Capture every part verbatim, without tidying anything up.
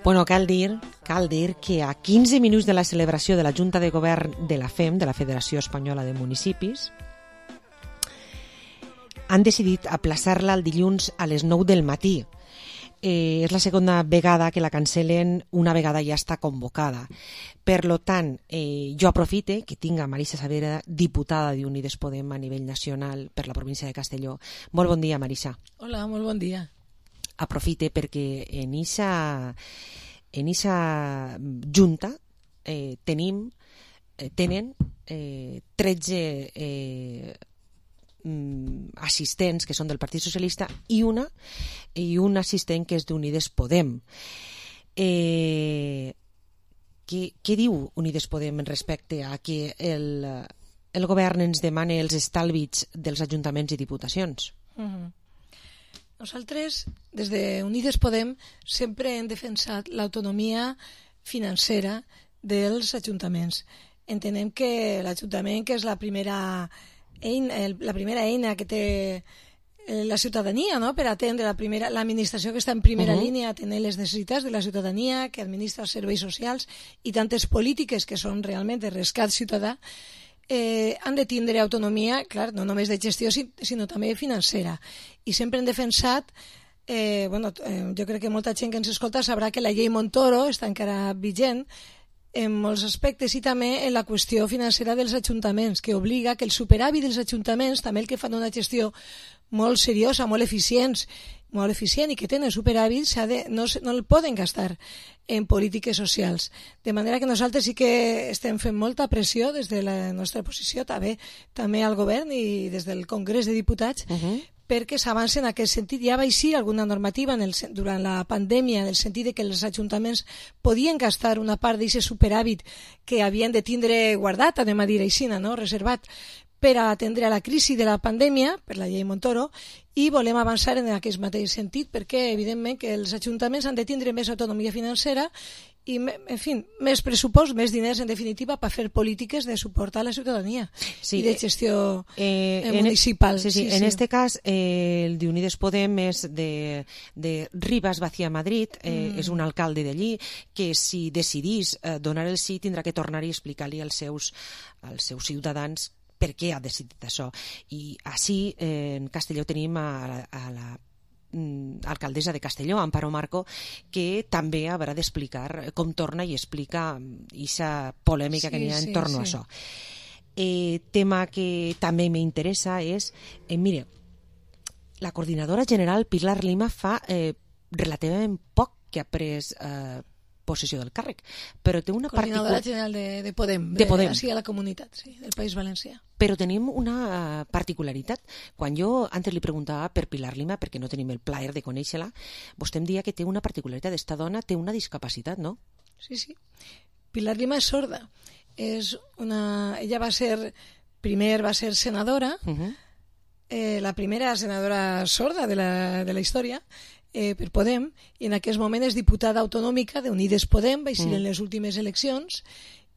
Bueno, cal dir, cal dir que a quinze minuts de la celebració de la Junta de Govern de la F E M, de la Federació Espanyola de Municipis, han decidit aplaçar-la el dilluns a les nou del matí. Eh, és la segona vegada que la cancel·len, una vegada ja està convocada. Per lo tant, eh, jo aprofite que tinc a Marisa Savera, diputada d'Unides Podem a nivell nacional per la província de Castelló. Molt bon dia, Marisa. Hola, molt bon dia. Aprofite perquè en eixa en eixa junta eh, tenim eh, tenen eh, tretze eh, assistents que són del Partit Socialista i una i un assistent que és d'Unides Podem. Eh, què, què diu Unides Podem en respecte a que el, el govern ens demani els estalvis dels ajuntaments i diputacions? Uh-huh. Nosaltres, des de Unides Podem, sempre hem defensat l'autonomia financera dels ajuntaments. Entenem que l'Ajuntament, que és la primera eina, la primera eina que té la ciutadania, no?, per atendre la primera, l'administració que està en primera uh-huh. línia, atendre les necessitats de la ciutadania, que administra els serveis socials i tantes polítiques que són realment de rescat ciutadà, Eh, han de tindre autonomia, clar, no només de gestió, sinó també financera. I sempre hem defensat, eh, bueno, eh, jo crec que molta gent que ens escolta sabrà que la llei Montoro està encara vigent en molts aspectes i també en la qüestió financera dels ajuntaments, que obliga que el superàvit dels ajuntaments, també el que fan una gestió molt seriosa, molt eficients, molt eficient i que tenen superàvit, de, no, no el poden gastar en polítiques socials. De manera que nosaltres sí que estem fent molta pressió des de la nostra posició, també, també al govern i des del Congrés de Diputats, uh-huh. perquè s'avanci en aquest sentit. Ja va eixir alguna normativa en el, durant la pandèmia en el sentit de que els ajuntaments podien gastar una part d'aquest superàvit que havien de tindre guardat, anem a dir així, no? Reservat, per a atendre a la crisi de la pandèmia, per la llei Montoro, i volem avançar en aquest mateix sentit perquè, evidentment, que els ajuntaments han de tindre més autonomia financera i, en fi, més pressupost, més diners, en definitiva, per fer polítiques de suport a la ciutadania sí, i de gestió eh, municipal. Sí, sí, sí, en este cas, eh, el d'Unides Podem és de, de Rivas Vacía Madrid, eh, mm. és un alcalde d'allí, que si decidís eh, donar el sí tindrà que tornar i explicar-li als seus, als seus ciutadans per què ha decidit això. I així, eh, en Castelló tenim a la, a la mm, alcaldessa de Castelló, Amparo Marco, que també haurà d'explicar com torna i explica aquesta polèmica sí, que n'hi ha sí, entorn sí. a això. Eh, tema que també m'interessa és, eh, mire, la coordinadora general Pilar Lima fa eh, relativament poc que ha pres eh, possessió del càrrec, però té una coordinadora particular... general de, de Podem, de Podem. Així a la comunitat, sí, del País Valencià. Però tenim una particularitat. Quan jo antes li preguntava per Pilar Lima, perquè no tenim el plaer de conèixer-la, vostè em deia que té una particularitat. Esta dona té una discapacitat, no? Sí, sí. Pilar Lima és sorda. És una... Ella va ser... Primer va ser senadora, uh-huh. eh, la primera senadora sorda de la, de la història, Eh, per Podem, i en aquest moment és diputada autonòmica d'Unides Podem, va ser mm. en les últimes eleccions,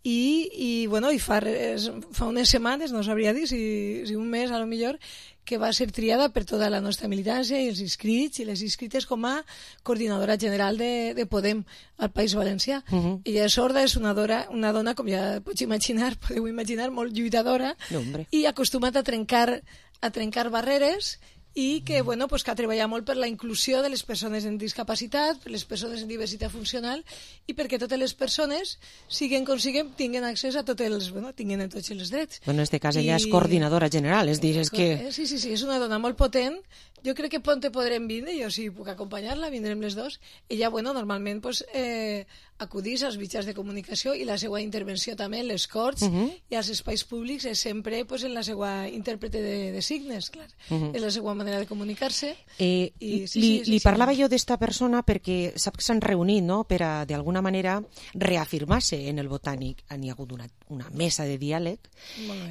i, i, bueno, i fa, res, fa unes setmanes, no sabria dir, si, si un mes a lo millor, que va ser triada per tota la nostra militància i els inscrits i les inscrites com a coordinadora general de, de Podem al País Valencià. Uh-huh. Ella és sorda, és una, dora, una dona, com ja pots imaginar, podeu imaginar, molt lluitadora, no, i acostumat a trencar, a trencar barreres, i que, bueno, pues, que ha treballat molt per la inclusió de les persones amb discapacitat, per les persones amb diversitat funcional i perquè totes les persones, siguen com siguen, tinguen accés a tots els, bueno, tinguen tots els drets. Bueno, en este cas ella I... és coordinadora general, és dir, és que... Sí, sí, sí, és una dona molt potent. Jo crec que pronte podrem vindre, jo si puc acompanyar-la, vindrem les dos. Ella, bueno, normalment, pues, eh, acudís als mitjans de comunicació i la seva intervenció també en les corts uh-huh. i als espais públics és sempre pues, en la seva intèrprete de, de signes, clar. Uh-huh. És la seva manera de comunicar-se. Eh, I, sí, li sí, sí, li sí, parlava sí. jo d'esta persona perquè sap que s'han reunit, no?, per a, d'alguna manera, reafirmar-se en el Botànic. N'hi ha hagut una, una mesa de diàleg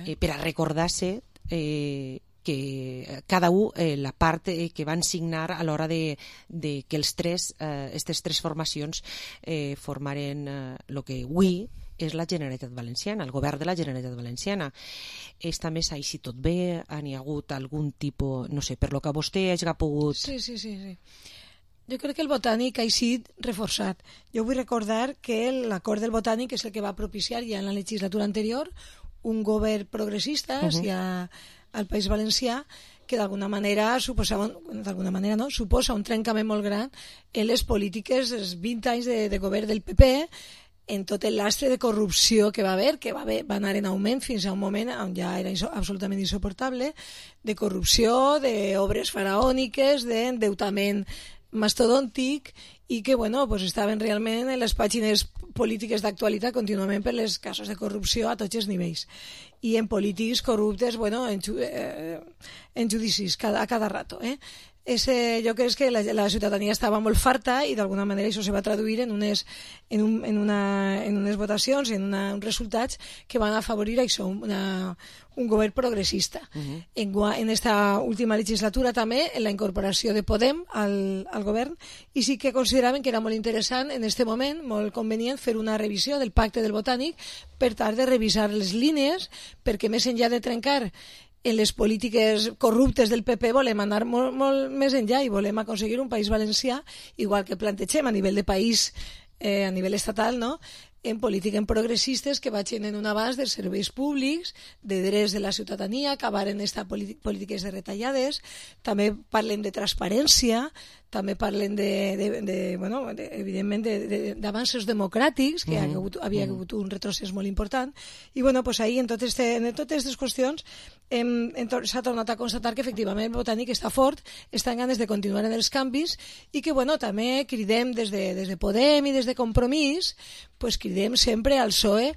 eh, per a recordar-se eh, que cada un, eh, la part eh, que van signar a l'hora de, de que els tres, eh, aquestes tres formacions eh, formaren el eh, que avui és la Generalitat Valenciana, el govern de la Generalitat Valenciana. Esta mesa, i si tot bé, n'hi ha hagut algun tipus, no sé, per lo que vostè hagi pogut... Sí, sí, sí, sí. Jo crec que el Botànic ha sigut reforçat. Jo vull recordar que l'acord del Botànic és el que va propiciar ja en la legislatura anterior un govern progressista uh -huh. ja al País Valencià que d'alguna manera suposava, d'alguna manera no, suposa un trencament molt gran en les polítiques dels vint anys de, de govern del P P, en tot el lastre de corrupció que va haver, que va, haver, va anar en augment fins a un moment on ja era iso, absolutament insoportable, de corrupció, d'obres faraòniques, d'endeutament mastodòntic, i que bueno, pues estaven realment en les pàgines polítiques d'actualitat contínuament per les casos de corrupció a tots els nivells. I en polítics corruptes, bueno, en, eh, en judicis cada, a cada rato, eh? Ese, jo crec que la, la ciutadania estava molt farta i d'alguna manera això se va traduir en unes, en un, en una, en unes votacions, en una, uns resultats que van afavorir això, una, un govern progressista. Uh-huh. en, en esta última legislatura també en la incorporació de Podem al, al govern, i sí que consideraven que era molt interessant en este moment, molt convenient, fer una revisió del pacte del Botànic per tal de revisar les línies, perquè més enllà de trencar en les polítiques corruptes del P P volem anar molt, molt més enllà i volem aconseguir un País Valencià, igual que plantegem a nivell de país, eh, a nivell estatal, no?, en polítiques progressistes que vagin en un abast de serveis públics, de drets de la ciutadania, acabar en estas polítiques de retallades, també parlen de transparència, també parlen de, de, de bueno, de, evidentment d'avanços de, democràtics, que uh-huh. hagut, havia hagut un retrocés molt important, i bueno, pues ahí en, tot este, en totes aquestes qüestions s'ha tornat a constatar que efectivament el Botànic està fort, està en ganes de continuar en els canvis, i que bueno, també cridem des de, des de Podem i des de Compromís, pues cridem sempre al P S O E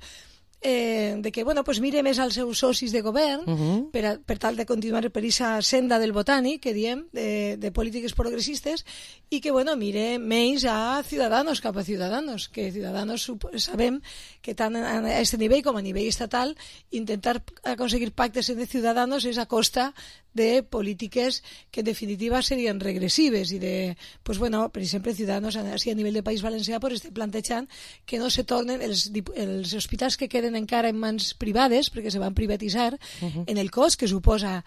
eh, de que bueno, pues mire més als seus socis de govern uh-huh. per, a, per tal de continuar per aquesta senda del Botànic que diem, de, de polítiques progressistes, i que bueno, mire més a Ciudadanos, cap a Ciudadanos, que Ciudadanos sabem que tant a aquest nivell com a nivell estatal intentar aconseguir pactes entre Ciudadanos és a costa de polítiques que en definitiva serien regressives i de, pues bueno, per exemple, Ciudadanos així a nivell de País Valencià pues estem plantejant que no se tornen els, els hospitals que queden encara en mans privades, perquè se van privatitzar, uh-huh. en el cost que suposa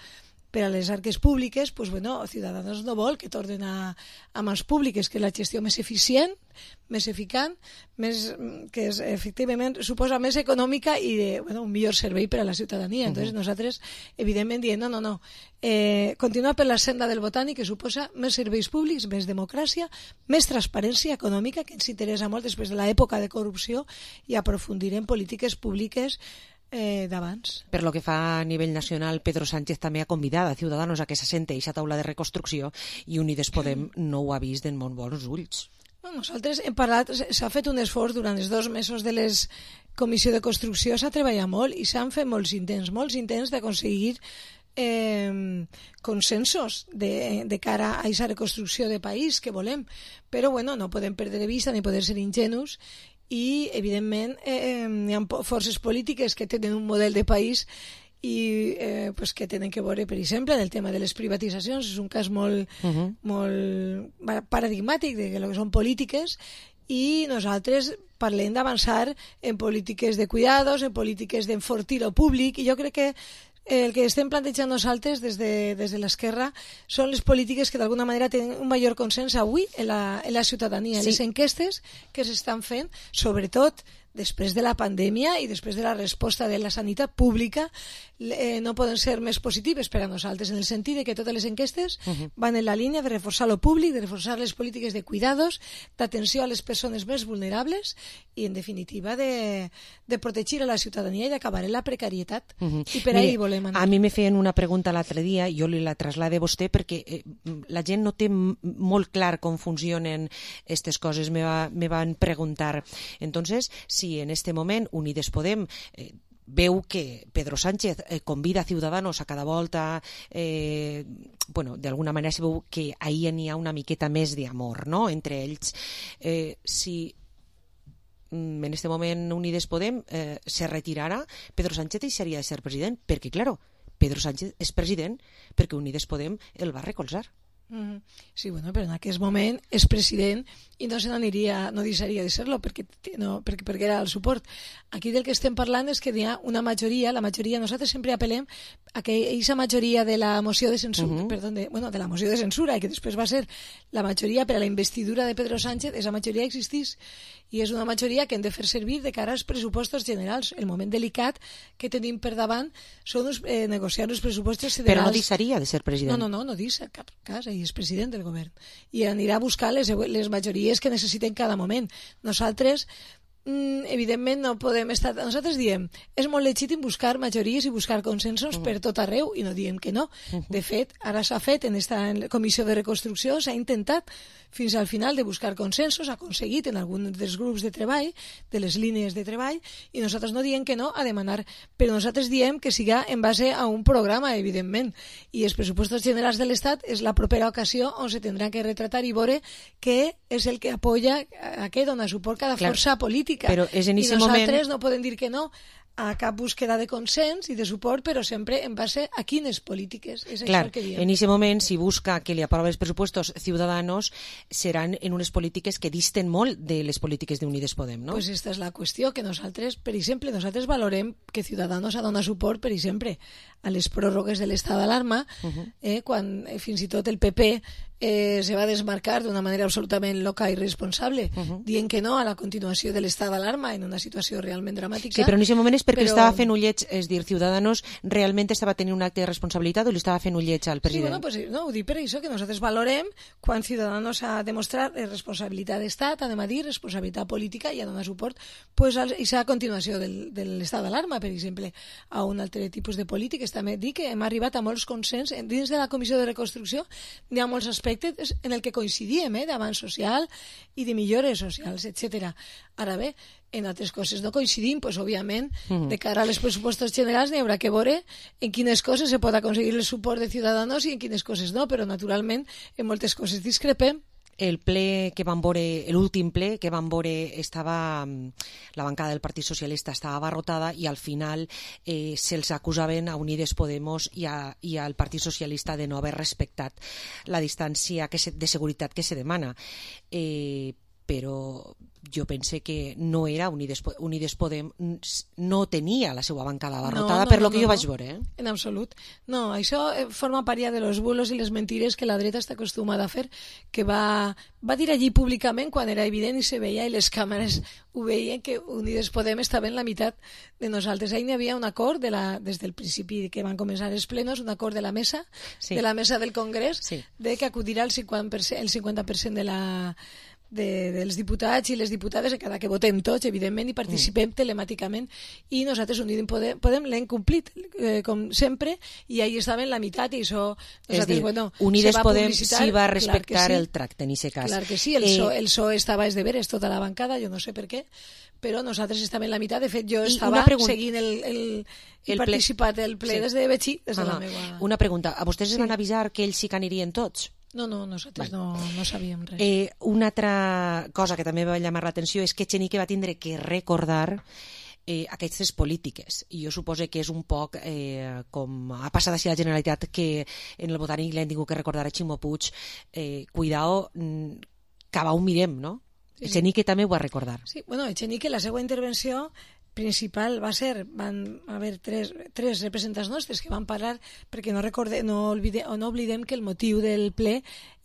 per a les arques públiques, pues bueno, Ciudadanos no vol que tornen a, a mans públiques, que la gestió més eficient, més eficient, més, que és, efectivament suposa més econòmica i de, bueno, un millor servei per a la ciutadania. Entonces, uh-huh. nosaltres, evidentment, diem, no, no, no, eh, continuar per la senda del Botànic, que suposa més serveis públics, més democràcia, més transparència econòmica, que ens interessa molt després de l'època de corrupció, i aprofundir en polítiques públiques Eh, d'abans. Per lo que fa a nivell nacional, Pedro Sánchez també ha convidat a Ciudadanos a que s'assente a aquesta taula de reconstrucció, i Unides Podem no ho ha vist en molt bons ulls. No, nosaltres hem parlat, s'ha fet un esforç durant els dos mesos de les comissió de construcció, s'ha treballat molt i s'han fet molts intents, molts intents d'aconseguir eh, consensos de, de cara a aquesta reconstrucció de país que volem, però bueno, no podem perdre de vista ni poder ser ingenus, i evidentment eh, hi ha forces polítiques que tenen un model de país i eh, pues que tenen que veure, per exemple, en el tema de les privatitzacions. És un cas molt, uh-huh. molt paradigmàtic de que són polítiques, i nosaltres parlem d'avançar en polítiques de cuidados, en polítiques d'enfortir el públic, i jo crec que el que estem plantejant nosaltres des de, des de l'esquerra són les polítiques que d'alguna manera tenen un major consens avui en la, en la ciutadania. Sí. Les enquestes que s'estan fent, sobretot després de la pandèmia i després de la resposta de la sanitat pública, eh, no poden ser més positives per a nosaltres, en el sentit de que totes les enquestes uh-huh. van en la línia de reforçar lo públic, de reforçar les polítiques de cuidados, d'atenció a les persones més vulnerables i, en definitiva, de, de protegir a la ciutadania i d'acabar en la precarietat. Uh-huh. I per ahí volem anar. A mi me feien una pregunta l'altre dia, jo li la traslade a vostè, perquè eh, la gent no té molt clar com funcionen aquestes coses. Me, va, me van preguntar. Entonces, si en este moment Unides Podem eh, veu que Pedro Sánchez eh, convida a Ciudadanos a cada volta, eh, bueno, d'alguna manera se veu que ahí n'hi ha una miqueta més d'amor, no?, entre ells. Eh, si mm, en este moment Unides Podem eh, se retirara, Pedro Sánchez deixaria de ser president, perquè, claro, Pedro Sánchez és president perquè Unides Podem el va recolzar. Mm-hmm. Sí, bueno, però en aquest moment és president i no se n'aniria, no deixaria de ser-lo perquè, no, perquè, perquè era el suport. Aquí del que estem parlant és que hi ha una majoria, la majoria, nosaltres sempre apel·lem a que aquesta majoria de la moció de censura, uh-huh. perdó, de, bueno, de la moció de censura, i que després va ser la majoria per a la investidura de Pedro Sánchez, aquesta majoria existís i és una majoria que hem de fer servir de cara als pressupostos generals. El moment delicat que tenim per davant són uns, eh, negociar els pressupostos generals. Però no deixaria de ser president. No, no, no, no deixa cap cas, ell és president del govern i anirà a buscar les, les majories que necessiten cada moment. Nosaltres Mm, evidentment no podem estar... Nosaltres diem, és molt legítim buscar majories i buscar consensos uh-huh. per tot arreu i no diem que no. Uh-huh. De fet, ara s'ha fet en esta comissió de reconstrucció, s'ha intentat fins al final de buscar consensos, ha aconseguit en algun dels grups de treball, de les línies de treball, i nosaltres no diem que no a demanar, però nosaltres diem que siga en base a un programa, evidentment, i els pressupostos generals de l'Estat és la propera ocasió on se tindrà que retratar i veure què és el que apoya, a què dona suport cada Clar. força política. Però és en I nosaltres moment... no podem dir que no a cap búsqueda de consens i de suport, però sempre en base a quines polítiques. És Clar, això que diem. en aquest moment, si busca que li aprova els pressupostos Ciudadanos, seran en unes polítiques que disten molt de les polítiques d'Unides Podem, no? Pues esta és la qüestió, que nosaltres, per exemple, nosaltres valorem que Ciudadanos ha donat suport, per exemple, a les pròrrogues de l'estat d'alarma, uh-huh. eh, quan eh, fins i tot el P P eh, se va desmarcar d'una manera absolutament loca i irresponsable, uh-huh. dient que no a la continuació de l'estat d'alarma en una situació realment dramàtica. Sí, però en aquest moment és perquè però... estava fent ullets, és dir, Ciudadanos realment estava tenint un acte de responsabilitat o li estava fent ullets al president? Sí, bueno, pues, no, ho dic per això, que nosaltres valorem quan Ciudadanos ha demostrat responsabilitat d'estat, anem a dir, responsabilitat política i ha donat suport pues, a aquesta continuació del, de l'estat d'alarma, per exemple, a un altre tipus de polítiques. També dic que hem arribat a molts consens dins de la Comissió de Reconstrucció, hi ha molts aspectes en el que coincidíem, eh, d'avanç social i de millores socials, etcètera. Ara bé, en altres coses no coincidim, pues, òbviament, uh-huh. de cara als pressupostos generals n'hi haurà que veure en quines coses se pot aconseguir el suport de Ciudadanos i en quines coses no, però naturalment en moltes coses discrepem. El ple que van veure, l'últim ple que van veure, estava, la bancada del Partit Socialista estava abarrotada i al final eh, se'ls acusaven a Unides Podemos i, a, i al Partit Socialista de no haver respectat la distància que se, de seguretat que se demana. Eh, però jo pense que no era Unides, Unides Podem, no tenia la seva bancada abarrotada, no, no, per lo no, que jo no, vaig veure. Eh? En absolut. No, això forma part ja de los bulos i les mentires que la dreta està acostumada a fer, que va, va dir allí públicament quan era evident i se veia i les càmeres ho veien que Unides Podem estava en la meitat de nosaltres. Ahí n'hi havia un acord de la, des del principi que van començar els plenos, un acord de la mesa, sí. de la mesa del Congrés, sí. de que acudirà el cinquanta per cent, el cinquanta per cent de la De, dels diputats i les diputades, encara que votem tots, evidentment, i participem mm. telemàticament, i nosaltres Unides Podem, Podem l'hem complit, eh, com sempre, i ahí estava en la meitat, i això... És dir, bueno, Unides Podem sí va respectar sí. el tracte, en aquest cas. Clar que sí, el, eh... so, el P S O E estava és de veres tota la bancada, jo no sé per què, però nosaltres estàvem en la meitat. De fet, jo estava pregunta... seguint el, el, el, el participat del ple sí. des de Betxí, des de ah, la meva... Una pregunta, a vostès sí. es van avisar que ells sí que anirien tots? No, no, nosaltres no, no sabíem res. Eh, una altra cosa que també va llamar l'atenció és que Echenique va tindre que recordar eh, aquestes polítiques. I jo suposo que és un poc eh, com ha passat així la Generalitat, que en el Botànic l'hem tingut que recordar a Ximo Puig, eh, cuidao, que va ho mirem, no? Sí. Echenique també ho va recordar. Sí, bueno, Echenique, la seva intervenció principal va ser, van haver tres, tres representants nostres que van parlar, perquè no, recorde, no, olvide, no oblidem que el motiu del ple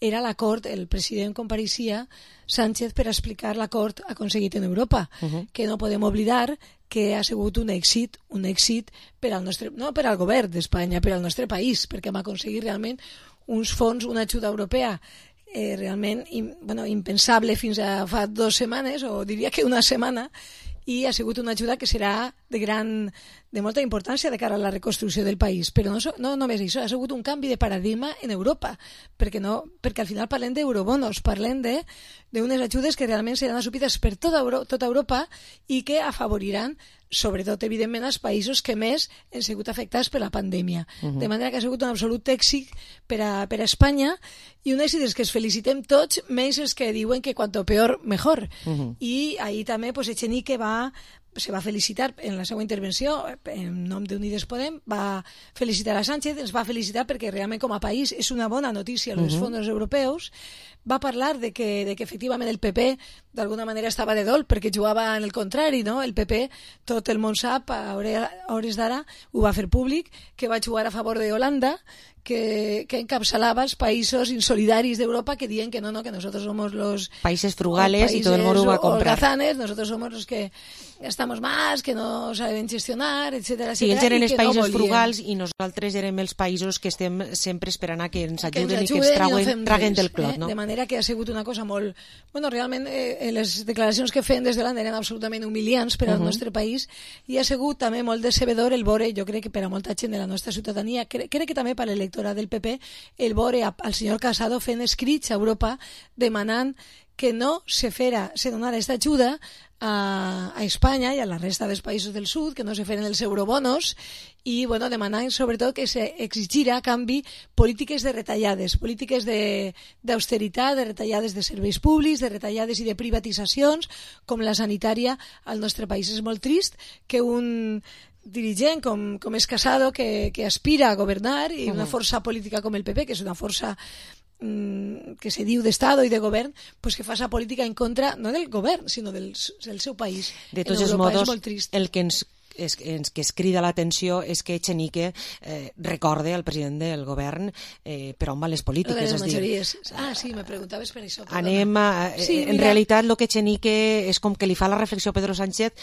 era l'acord, el president compareixia, Sánchez, per explicar l'acord aconseguit en Europa, uh-huh. que no podem oblidar que ha sigut un èxit, un èxit per al nostre, no per al govern d'Espanya, per al nostre país, perquè hem aconseguit realment uns fons, una ajuda europea eh, realment bueno, impensable fins a fa dues setmanes, o diria que una setmana, i ha sigut una ajuda que serà de gran, de molta importància de cara a la reconstrucció del país. Però no, no només això, ha sigut un canvi de paradigma en Europa, perquè, no, perquè al final parlem d'eurobonos, parlem d'unes ajudes que realment seran assumides per tota, Euro, tota Europa i que afavoriran sobretot, evidentment, els països que més han sigut afectats per la pandèmia. Uh-huh. De manera que ha sigut un absolut èxit per a, per a Espanya, i un èxit és que es felicitem tots, menys els que diuen que quanto peor, mejor. Uh-huh. I ahir també pues, Echenique va, se va felicitar en la seva intervenció en nom d'Unides Podem, va felicitar a Sánchez, ens va felicitar perquè realment com a país és una bona notícia els uh -huh. fons europeus. Va parlar de que, de que efectivament el P P d'alguna manera estava de dol perquè jugava en el contrari, no? El P P, tot el món sap, a hores d'ara ho va fer públic, que va jugar a favor de Holanda, que, que encapçalava els països insolidaris d'Europa que diuen que no, no, que nosotros somos los países frugales y todo el mundo va a comprar. Holgazanes, nosotros somos los que gastamos más, que no saben gestionar, etcètera. Sí, ells eren els països no frugals i nosaltres érem els països que estem sempre esperant a que ens ajuden, que ens ajuden i que ens traguen, no traguen del clot. Eh? No? De manera que ha sigut una cosa molt... Bueno, realment eh, les declaracions que feien des de l'Holanda eren absolutament humiliants per al uh -huh. nostre país i ha sigut també molt decebedor el veure, jo crec que per a molta gent de la nostra ciutadania, crec, crec que també per a l'electorat del P P, el veure al senyor Casado fent escrits a Europa demanant que no se fera, se donara aquesta ajuda a, a Espanya i a la resta dels països del sud, que no se feren els eurobonos i bueno, demanant sobretot que se exigira a canvi polítiques de retallades, polítiques d'austeritat, de, de retallades de serveis públics, de retallades i de privatitzacions, com la sanitària al nostre país. És molt trist que un dirigent com, com és Casado, que, que aspira a governar, i una força política com el P P, que és una força que se diu d'Estado i de govern, pues que fa esa política en contra, no del govern, sinó del, del seu país. De tots els modos, el que ens és, ens, que es crida l'atenció és que Echenique eh, recorde al president del govern eh, per on van les polítiques. Les majories. Ah, sí, me preguntaves per això. Perdona. Anem a, eh, sí, en realitat, el que Echenique és com que li fa la reflexió a Pedro Sánchez,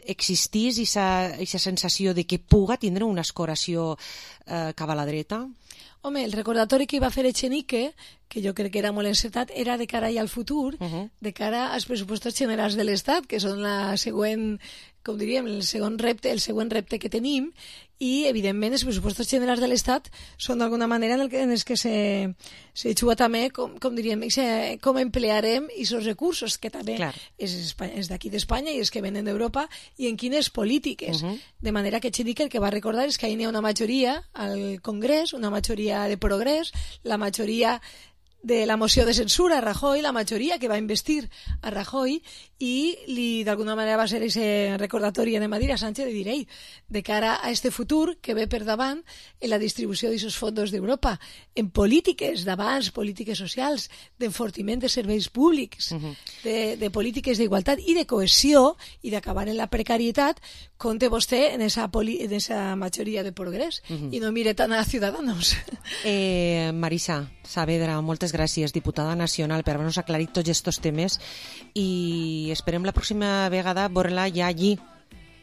existís aquesta sensació de que puga tindre una escoració eh, cap a la dreta? Home, el recordatori que va fer Echenique, que jo crec que era molt encertat, era de cara al futur, uh -huh. de cara als pressupostos generals de l'Estat, que són la següent, com diríem, el segon repte, el següent repte que tenim, i evidentment els pressupostos generals de l'Estat són d'alguna manera en, el que, en els que se, se juga també, com, com diríem, se, com emplearem aquests recursos, que també Clar. és, és d'aquí d'Espanya i els que venen d'Europa, i en quines polítiques. Uh -huh. De manera que Echenique el que va recordar és que hi ha una majoria al Congrés, una majoria de progrés, la majoria de la moció de censura a Rajoy, la majoria que va investir a Rajoy, i li d'alguna manera va ser ese recordatori, anem a dir, a Sánchez de dir, ei, de cara a este futur que ve per davant en la distribució d'aquests fons d'Europa, en polítiques d'abans, polítiques socials, d'enfortiment de serveis públics, uh -huh. de, de polítiques d'igualtat i de cohesió i d'acabar en la precarietat, compte vostè en esa, poli, en esa majoria de progrés uh -huh. i no mire tant a Ciudadanos. Eh, Marisa Saavedra, moltes gràcies, diputada nacional, per haver-nos aclarit tots aquests temes, i esperem la pròxima vegada veure-la ja allí,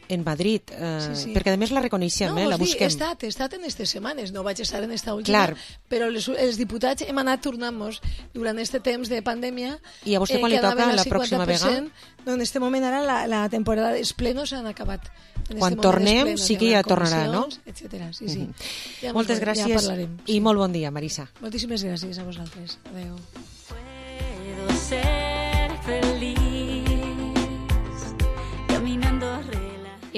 en Madrid, eh, sí, sí. perquè a més la reconeixem, no, eh, la busquem. He estat, he estat en aquestes setmanes, no vaig estar en esta última, Clar. però els, els diputats hem anat tornant-nos durant aquest temps de pandèmia. I a vostè quan eh, li toca la pròxima vegada? No, en aquest moment ara la, la temporada dels plenos s'han acabat. Quan tornem plenos, sí que ja tornarà, no? Etcètera. Sí, sí. Uh -huh. ja Moltes gràcies ja i molt bon dia, Marisa. Moltíssimes gràcies a vosaltres. Adéu.